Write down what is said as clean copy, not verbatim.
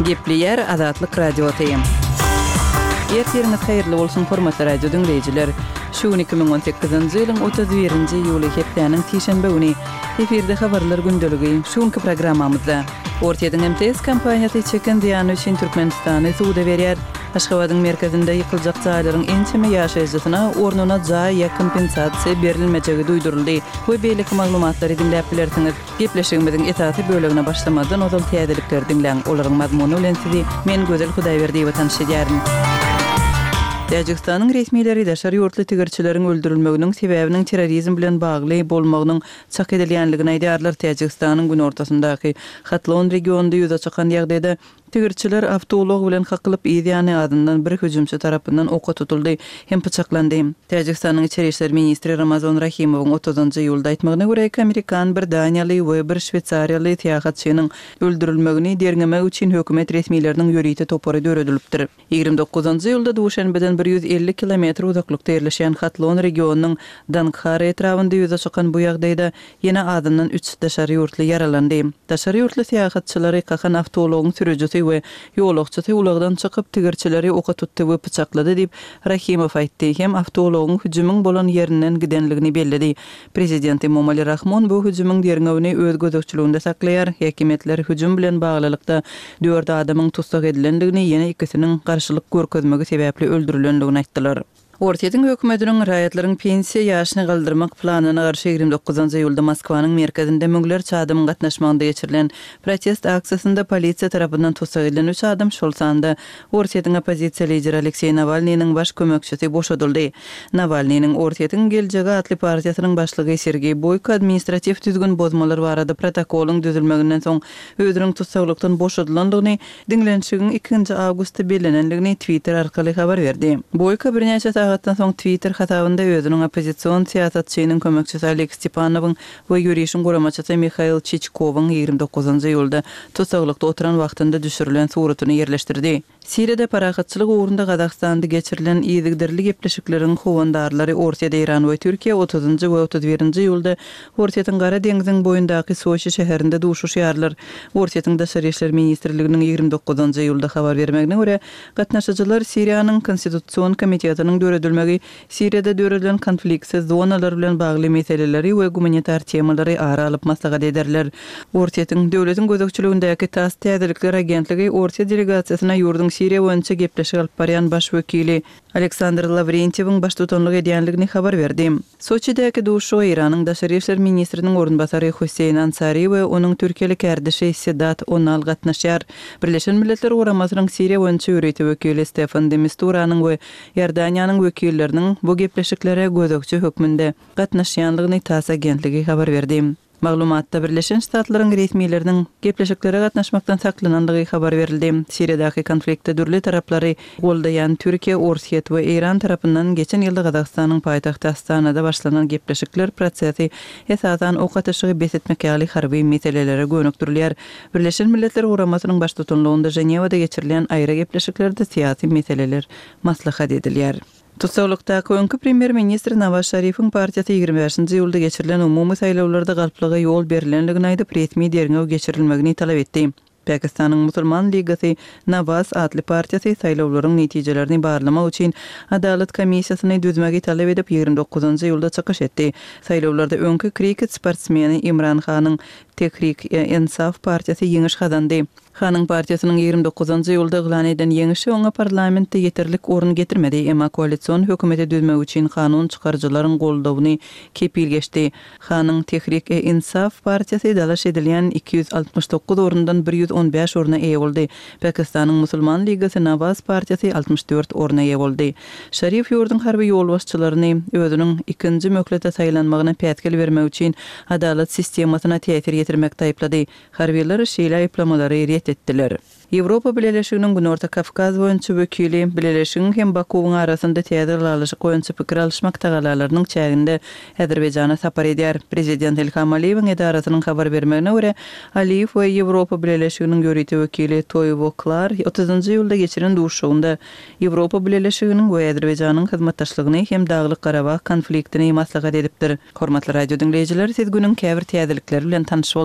Gepleýär Azatlyk Radiosy. Ertiriňiz haýyrly bolsun, hormatly radio diňleýjiler! Şu gün 2018-nji ýylyň 31-nji iýuly, hepdäniň sişenbe güni. Efirde habarlar gündeligi. Şu günki programmamyzda. Orsýetiň MTS kompaniýasy çeken zyýany üçin Türkmenistany suda berýär. Aşgabadyň merkezinde ýykyljak jaýlaryň ençeme ýaşaýjysyna ornuna jaý ýa kompensasiýa berilmejegi duýduryldy we beýleki maglumatlary diňläp bilersiňiz. Gepleşigimiziň esasy bölegine başlamazdan ozal täzelikleri diňläň. Olaryň mazmuny bilen sizi men Gözel Hudaýberdiýewa tanyş edýärin. Täjigistanyň resmileri daşary ýurtly tigirçileriň öldürilmeginiň sebäbiniň terrorizm bilen bagly bolmagynyň çak edilýänligini aýdýarlar. Täjigistanyň günortasyndaky Hatlon regionynda ýüze çykan ýagdaýda Tigirçiler awtoulag bilen kakylyp, yz ýany azyndan bir hüjümçi tarapyndan oka tutuldy hem pyçaklandy. Täjigistanyň içeri işler ministri Ramazon Rahimowyň otuzynjy iýulda aýtmagyna görä, iki amerikan, bir daniýaly we bir şweýsariýaly syýahatçynyň öldürilmegini derňemek üçin hökümet resmileriniň ýörite topary döredilipdir. 29-njy iýulda Duşenbeden 150 kilometr uzaklykda ýerleşýän Hatlon regionynyň Danghara etrabynda ýüze çykan bu ýagdaýda Ýene azyndan üç daşary ýurtly ýaralandy. Daşary ýurtly syýahatçylary kakan awtoulagyň sürüjisi we ýolagçysy ulagdan çykyp, tigirçileri oka tutdy we pyçaklady diýip, Rahimow aýtdy hem awtoulagyň hüjümiň bolan ýerinden gidenligini belledi. Prezident Emomali Rahmon bu hüjümiň derňewini öz gözegçiliginde saklaýar. Häkimiýetler hüjüm bilen baglylykda dört adamyň tussag edilendigini, ýene ikisiniň garşylyk görkezmegi sebäpli öldürilendigini aýtdylar. Orsýetiň hökümetiniň raýatlaryň pensiýa ýaşyny galdyrmak planyna garşy 29 iýulda Moskwanyň merkezinde müňlerçe adamyň gatnaşmagynda geçirilen protest aksiýasynda polisiýa tarapyndan tussag edilen üç adam, şol sanda Orsýetiň oppozisiýa lideri Alekseý Nawalnynyň baş kömekçisi boşadyldy. Nawalnynyň Orsýetiň geljegi atly partiýasynyň başlygy Sergeý Boýko administratiw düzgün bozmalar barada protokolyň düzülmeginden soň özüniň tussaglykdan boşadylandygyny Diňlenişigiň ikinji awgustda bellenendigini Twitter arkaly habar berdi. Boýko birnäçe sagatdan soň Twitter hasabynda özüniň oppozision syýasatçynyň kömekçisi Oleg Stepanowyň we ýörişiň guramaçysy Mihail Çiçkowyň 29 iýulda tussaglykda oturan wagtynda düşürilen suratyny ýerleşdirdi. Siriýada parahatçylyk ugrunda Gazagystanda geçirilen yzygiderli gepleşikleriň howandarlary Orsýet, Eýran we Türkiýe otuzynjy we 31-nji iýulda Orsýetiň Gara deňziň boýundaky Soçi şäherinde duşuşýarlar. Orsýetiň Daşary işler ministrliginiň 29 iýulda habar bermegine görä, gatnaşyjylar Siriýanyň Konstitusion komitetiniň döredilmegi, Siriýada döredilen konfliktsiz zonalar bilen bagly meseleleri we gumanitar temalary ara alyp maslahat ederler. Orsýetiň döwletiň gözegçiligindäki tass täzelikler agentligi orsýet delegasiýasyna ýurduň Siriýa boýunça gepleşik alyp barýan baş wekili Aleksandr Lawrentýewiň baştutanlyk edýänligini habar berdi. Soçidäki duşuşyga Eýranyň daşary işler ministriniň orunbasary Hossein Ansari we onuň türkiýeli kärdeşi Sedat Onal gatnaşýar. Birleşen Milletler Guramasynyň Siriýa boýunça ýörite wekili Stefan de Misturanyň we Iordaniýanyň wekilleriniň bu gepleşiklere gözegçi hökmünde gatnaşýanlygyny tass agentligi habar berdi. Maglumatda Birleşen Ştatlaryň resmileriniň gepleşiklere gatnaşmakdan saklanandygy habar berildi. Siriýadaky konfliktde dürli taraplary goldaýan Türkiýe, Orsýet we Eýran tarapyndan geçen ýylda Gazagystanyň paýtagty Astanada başlanan gepleşikler prosesi esasan ok atyşygy bes etmek ýaly harby meselelere gönükdirilýär. Birleşen Milletler Guramasynyň baştutanlygynda Ženewada geçirilýän aýry gepleşiklerde syýasy meseleler maslahat edilýär. Tussaglykdaky öňki premýer-ministr Nawaz Şarifiň partiýasy 25-nji iýulda geçirilen umumy saýlawlarda galplyga ýol berlendigini aýdyp, resmi derňew geçirilmegini talap etdi. Pakistanyň Musulman ligasy Nawaz atly partiýasy saýlawlaryň netijelerini barlamak üçin adalat komissiýasyny düzmegi talap edip, 29-njy iýulda çykyş etdi. Saýlawlarda öňki kriket sportsmeni Imran Hanyň Tehrik-e-Insaf partiýasy ýeňiş gazandy. Hanyň partiýasynyň 29-njy iýulda yglan eden ýeňişi oňa parlamentde ýeterlik orun getirmedi, emma koalision hökümeti düzmek üçin kanun çykaryjylaryň goldawyny kepil geçdi. Hanyň Tehrik-e-Insaf partiýasy dalaş edilýän 269 orundan 115 orna eýe boldy. Pakistanyň Musulman ligasy Nawaz partiýasy 64 orna eýe boldy. Şarif ýurduň harby ýolbaşçylaryny özüniň ikinji möhlete saýlanmagyna päsgel bermek üçin adalat sistemasyna täsir ýetirmekde aýyplady. Harbylar şeýle aýyplamalary ret etdiler. Ýewropa Bileleşiginiň Günorta Kawkaz boýunça wekili Bileleşigiň hem Bakuwyň arasynda täze ylalaşyk boýunça pikir alyşmak tagallalarynyň çäginde Azerbaýjana sapar edýär. Prezident Ilham Aliýewiň edarasynyň habar bermegine görä, Aliýew we Ýewropa Bileleşiginiň ýörite wekili Toýwo Klar otuzynjy iýulda geçiren duşuşygynda Ýewropa Bileleşiginiň we Azerbaýjanyň hyzmatdaşlygyny hem Daglyk-Garabag konfliktini maslahat edipdir. Hormatly radio diňleýjiler, siz günüň käbir täzelikleri bilen tanyş bolduňyz.